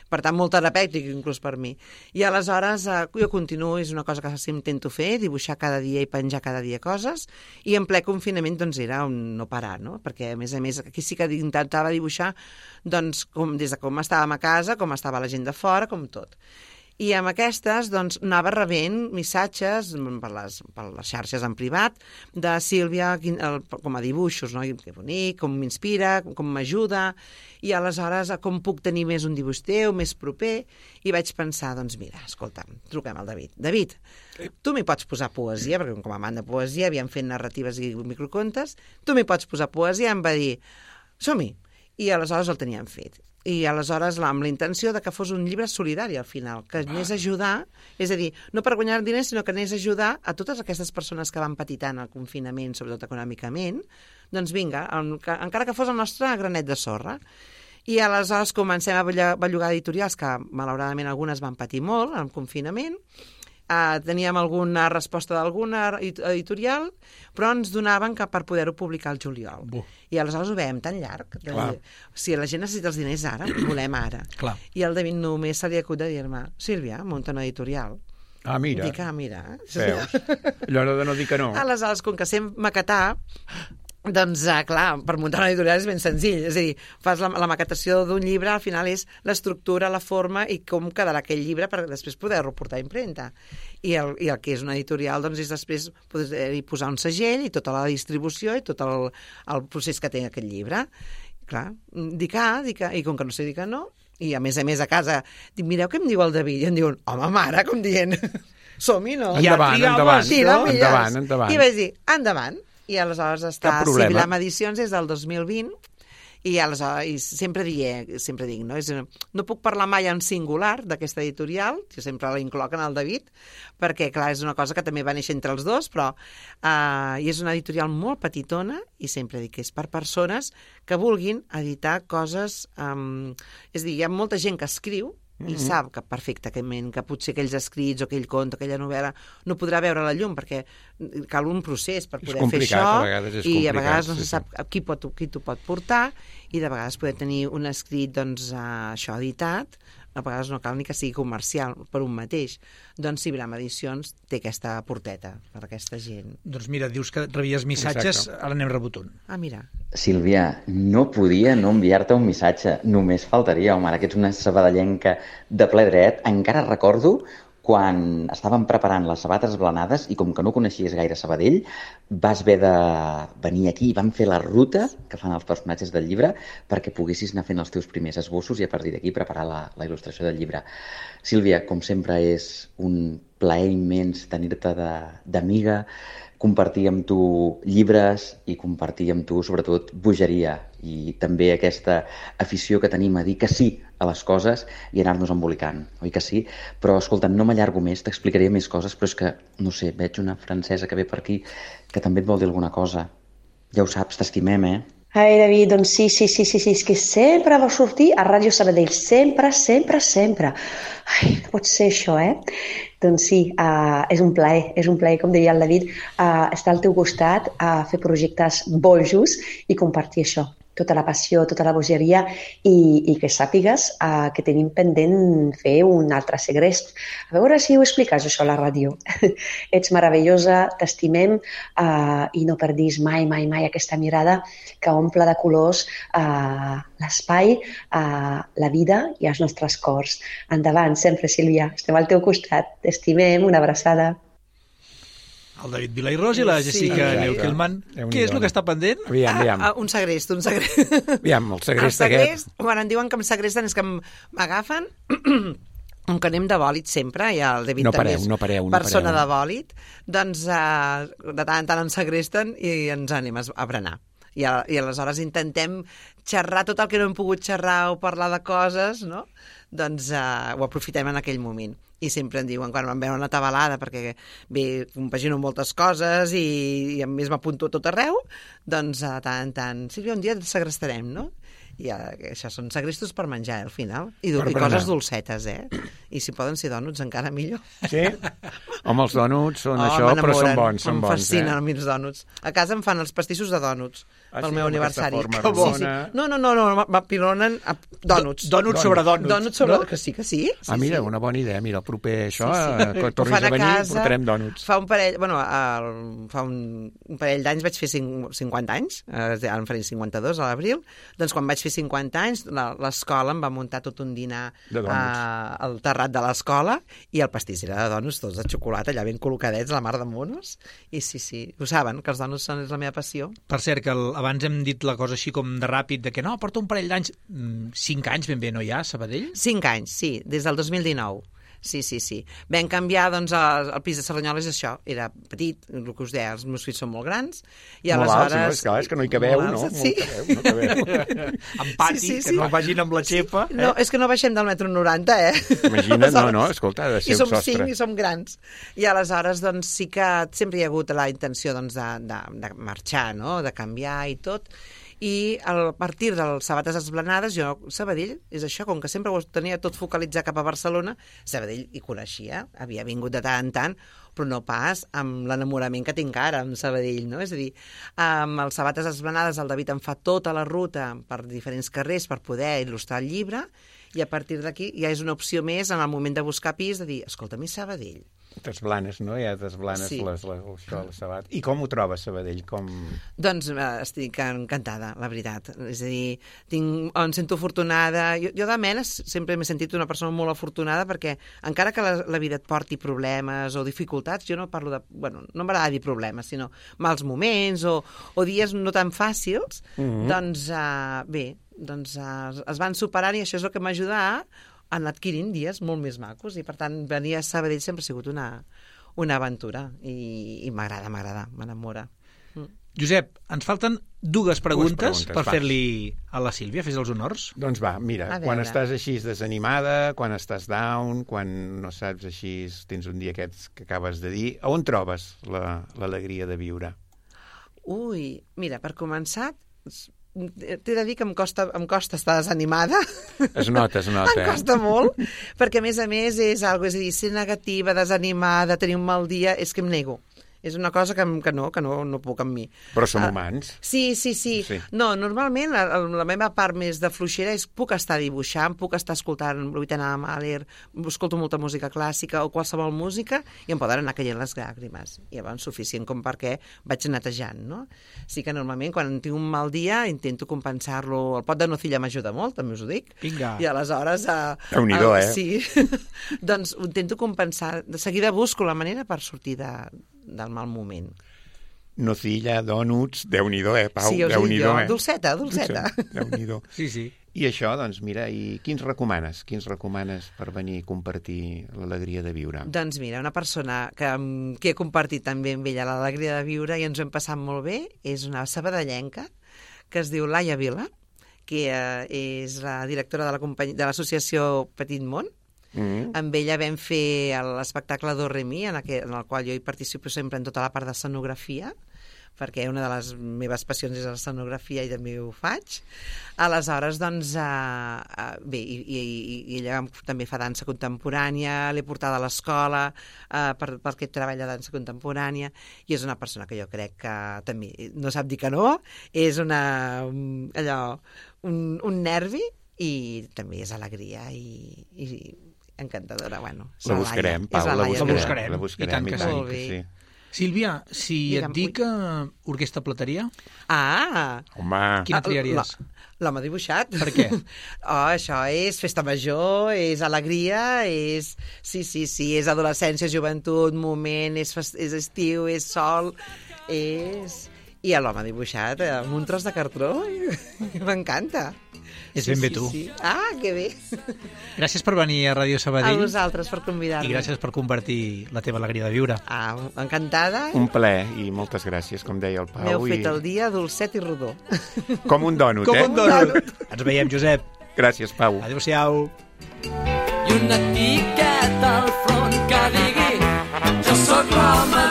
Per tant, molt terapèutic, inclús per mi. I aleshores eh, jo continuo, és una cosa que sí intento fer, dibuixar cada dia i penjar cada dia coses, i en ple confinament doncs era un no parar, no? Perquè, a més a més, aquí sí que intentava dibuixar doncs, com, des de com estàvem a casa, com estava la gent de fora, com tot. I amb aquestes doncs, anava rebent missatges per les, per les xarxes en privat de Sílvia, quin, el, com a dibuixos, no? Que bonic, com m'inspira, com m'ajuda, i aleshores com puc tenir més un dibuix teu, més proper, i vaig pensar, doncs mira, escolta, truquem al David. David, tu m'hi pots posar poesia, perquè com a amant de poesia havíem fet narratives i microcontes, tu m'hi pots posar poesia, em va dir, som-hi, i aleshores el teníem fet. I aleshores amb la intenció de que fos un llibre solidari al final, que anés a ajudar, és a dir, no per guanyar diners, sinó que anés a ajudar a totes aquestes persones que van patir tant el confinament, sobretot econòmicament, doncs vinga, encara que fos el nostre granet de sorra. I aleshores comencem a bellugar editorials que malauradament algunes van patir molt en el confinament, Uh, teníem alguna resposta d'alguna editorial, però ens donaven que per poder-ho publicar al juliol. Buh. I aleshores ho veiem tan llarg. De dir, si la gent necessita els diners ara, volem ara. Clar. I al David només se li acut de dir-me, Sílvia, munta una editorial. Ah, mira. Dic, ah, mira. Veus? Allò de no dir que no. Aleshores, com que sem maquetar, doncs, eh, clar, per muntar una editorial és ben senzill. És a dir, fas la, la maquetació d'un llibre, al final és l'estructura, la forma i com quedarà aquell llibre per després poder-lo portar a impremta. I el, I el que és una editorial, doncs, és després poder-hi posar un segell i tota la distribució i tot el, el procés que té aquest llibre. Clar, dic ah, dic ah, i com que no sé dir que no, i a més a més a casa, dic, mireu què em diu el David, i em diuen, home, mare, com dient, som-hi, no? Endavant, Ja, endavant, Sí, no? endavant, endavant. I vaig dir, endavant. I aleshores està Cap problema. Sibilam Edicions des del dos mil vint i aleshores i sempre, die, sempre dic, no? És, no puc parlar mai en singular d'aquesta editorial, jo sempre la incloc en el David, perquè clar, és una cosa que també va néixer entre els dos, però eh, i és una editorial molt petitona i sempre dic que és per persones que vulguin editar coses, um, és a dir, hi ha molta gent que escriu i mm-hmm. sap que perfectament que potser aquells escrits o aquell conte, aquella novel·la no podrà veure la llum perquè cal un procés per poder fer això a vegades és i a complicat, vegades no sí, se sap sí. qui, pot, qui t'ho pot portar i de vegades poder tenir un escrit doncs, uh, això editat, a vegades no cal ni que sigui comercial per un mateix. Doncs Sibilam Edicions té aquesta porteta per a aquesta gent. Doncs mira, dius que rebies missatges, Exacte. ara n'hem rebut un. Ah, mira. Sílvia, no podia no enviar-te un missatge, només faltaria, home, ara que ets una sabadellenca de ple dret, encara recordo quan estàvem preparant les sabates esblanades i com que no coneixies gaire Sabadell, vas haver de venir aquí i vam fer la ruta que fan els personatges del llibre perquè poguessis anar fent els teus primers esbossos i a partir d'aquí preparar la, la il·lustració del llibre. Sílvia, com sempre és un plaer immens tenir-te d'amiga, compartir amb tu llibres i compartir amb tu, sobretot, bogeria i també aquesta afició que tenim a dir que sí a les coses i anar-nos embolicant, oi que sí? Però, escolta, no m'allargo més, t'explicaré més coses, però és que, no sé, veig una francesa que ve per aquí que també et vol dir alguna cosa. Ja ho saps, t'estimem, eh? Ai, David, doncs sí, sí, sí, sí, sí, és que sempre va sortir a Ràdio Sabadell, sempre, sempre, sempre. Ai, no pot ser això, eh? Doncs sí, uh, és un plaer, és un plaer, com deia el David, uh, estar al teu costat, a uh, fer projectes bojos i compartir això, tota la passió, tota la bogeria i, i que sàpigues uh, que tenim pendent fer un altre segrest. A veure si ho expliques, això, a la ràdio. Ets meravellosa, t'estimem uh, i no perdis mai, mai, mai aquesta mirada que omple de colors uh, l'espai, uh, la vida i els nostres cors. Endavant, sempre, Sílvia, estem al teu costat. T'estimem, una abraçada. El David Vilairós i la Jessica sí. Neukelman. Què és el que està pendent? Aviam, aviam. Ah, un segrest, un segrest. Aviam, el segrest, el segrest aquest. Quan em diuen que em segresten és que m'agafen, com que anem de bòlit sempre, i el David no també pareu, és no pareu, no persona pareu. de bòlit, doncs uh, de tant en tant ens segresten i ens anem a berenar. I, a, I aleshores intentem xerrar tot el que no hem pogut xerrar o parlar de coses, no? Doncs uh, ho aprofitem en aquell moment. I sempre em diuen, quan em veuen una tabalada, perquè bé, compagino moltes coses i, i a més m'apunto a tot arreu, doncs de tant en tant, Sílvia, un dia et segrestarem, no? I uh, això són segrestos per menjar, eh, al final. I, i coses dolcetes, eh? I si poden ser dònuts, encara millor. Sí? Home, els dònuts són oh, això, però són bons, són em bons. Em fascinen eh? els meus dònuts. A casa em fan els pastissos de dònuts ah, pel sí, meu aniversari. Que bo. Sí, sí. No, no, no, no m'apilonen a dònuts. Dònuts sobre dònuts. Dònuts sobre... No? Que sí, que sí. sí ah, mira, sí. una bona idea. Mira, el proper això, sí, sí. que tornis a venir, casa, portarem dònuts. Fa un parell, bueno, el, fa un, un parell d'anys vaig fer cinquanta anys, ara en faré cinquanta-dos a l'abril, doncs quan vaig fer cinquanta anys, l'escola em va muntar tot un dinar uh, al terrat de l'escola i el pastís era de dònuts, tots de xocolata, allà ben col·locadets, la mar de monos, i sí, sí, ho saben, que els dònuts són la meva passió. Per cert, que el, abans hem dit la cosa així com de ràpid, de que no, porta un parell d'anys, cinc anys ben bé, no hi ha, Sabadell? Cinc anys, sí, des del dos mil dinou. Sí, sí, sí. Vam canviar, doncs, el, el pis de Cerdanyola és això. Era petit, el que us deia, els meus fills són molt grans. I molt aleshores... alts, no? És, clar, és que no hi cabeu, no? Sí. No cabeu, no cabeu. En pati, sí, sí, sí. Que no vagin amb la xepa. Sí. Eh? No, és que no baixem del metro noranta, eh? Imagina't, no, no, escolta, ha de ser I som un sostre. cinc i som grans. I aleshores, doncs, sí que sempre hi ha hagut la intenció, doncs, de, de, de marxar, no?, de canviar i tot. I a partir dels Sabates Esplanades, jo, Sabadell, és això, com que sempre ho tenia tot focalitzat cap a Barcelona, Sabadell hi coneixia, havia vingut de tant en tant, però no pas amb l'enamorament que tinc ara amb Sabadell, no? És a dir, amb els Sabates Esplanades el David em fa tota la ruta per diferents carrers per poder il·lustrar el llibre, i a partir d'aquí ja és una opció més en el moment de buscar pis, de dir, escolta, mi Sabadell. T'esblanes, no? Ja t'esblanes sí. les, les, això, les sabates. I com ho trobes, Sabadell? Com... Doncs eh, estic encantada, la veritat. És a dir, tinc, em sento afortunada. Jo, jo de mena sempre m'he sentit una persona molt afortunada perquè encara que la, la vida et porti problemes o dificultats, jo no parlo de... Bueno, no m'agrada dir problemes, sinó mals moments o, o dies no tan fàcils, mm-hmm. doncs eh, bé, doncs eh, es van superant i això és el que m'ajuda a han adquirint dies molt més macos i per tant venir a Sabadell sempre ha sigut una, una aventura i, i m'agrada, m'agrada, m'enamora. Mm. Josep, ens falten dues preguntes, preguntes per va. fer-li a la Sílvia, fes els honors. Doncs va, mira, quan estàs així desanimada, quan estàs down, quan no saps així, tens un dia aquests que acabes de dir, on trobes l'alegria la, de viure? Ui, mira, per començar... t'he de dir que em costa, em costa estar desanimada. Es nota, es nota. Em costa eh? molt, perquè a més a més és algo, és a dir, ser negativa, desanimada, tenir un mal dia, és que em nego. És una cosa que, que no, que no, no puc amb mi. Però som uh, humans. Sí, sí, sí, sí. No, normalment la, la meva part més de fluixera és puc estar dibuixant, puc estar escoltant Vuitena de Mahler, escolto molta música clàssica o qualsevol música i em poden anar caient les llàgrimes. I llavors suficient com perquè vaig netejant, no? Sí que normalment quan tinc un mal dia intento compensar-lo. El pot de nocilla m'ajuda molt, també us ho dic. Vinga. I aleshores... Uh, Déu-n'hi-do, uh, eh? Sí. Doncs ho intento compensar. De seguida busco la manera per sortir de... del mal moment. nocilla, donuts, Déu-n'hi-do, eh, Pau? Sí, us ho dic Déu-n'hi-do, jo, eh? dolceta, dolceta. Déu-n'hi-do. Sí, sí. I això, doncs, mira, i quins recomanes? Quins recomanes per venir a compartir l'alegria de viure? Doncs mira, una persona que, que he compartit també amb ella l'alegria de viure i ens ho hem passat molt bé és una sabadellenca que es diu Laia Vila, que eh, és la directora de la company... de l'associació Petit Món. Mm. Amb ella vam fer l'espectacle Do Re Mi, en, aquel, en el qual jo hi participo sempre en tota la part d'escenografia, perquè una de les meves passions és l'escenografia i també ho faig. Aleshores, doncs, uh, uh, bé, i, i, i ella també fa dansa contemporània, l'he portada a l'escola uh, per, perquè treballa dansa contemporània, i és una persona que jo crec que també no sap dir que no, és una, allò, un, un nervi, i també és alegria i, i encantadora. Bueno, la buscarem, Pau, la, la buscarem. La buscarem. La buscarem, I tant que, i tant sí. que sí. Sílvia, si Digue'm, et dic uh, orquestra plateria... Ah! Home! Quina triaries? L'home dibuixat. Per què? Oh, això és festa major, és alegria, és... Sí, sí, sí, és adolescència, joventut, moment, és, fest... és estiu, és sol, és... I l'home dibuixat amb un tros de cartró, m'encanta. És sí, ben bé sí, tu. Sí. Ah, que bé. Gràcies per venir a Ràdio Sabadell. A vosaltres per convidar-me. I gràcies per compartir la teva alegria de viure. Ah, encantada. Un plaer i moltes gràcies, com deia el Pau. M'heu fet i... el dia dolcet i rodó. Com un dònut, Com eh? Com un dònut. Ens veiem, Josep. Gràcies, Pau. Adéu-siau. I una etiqueta al front que digui jo sóc l'home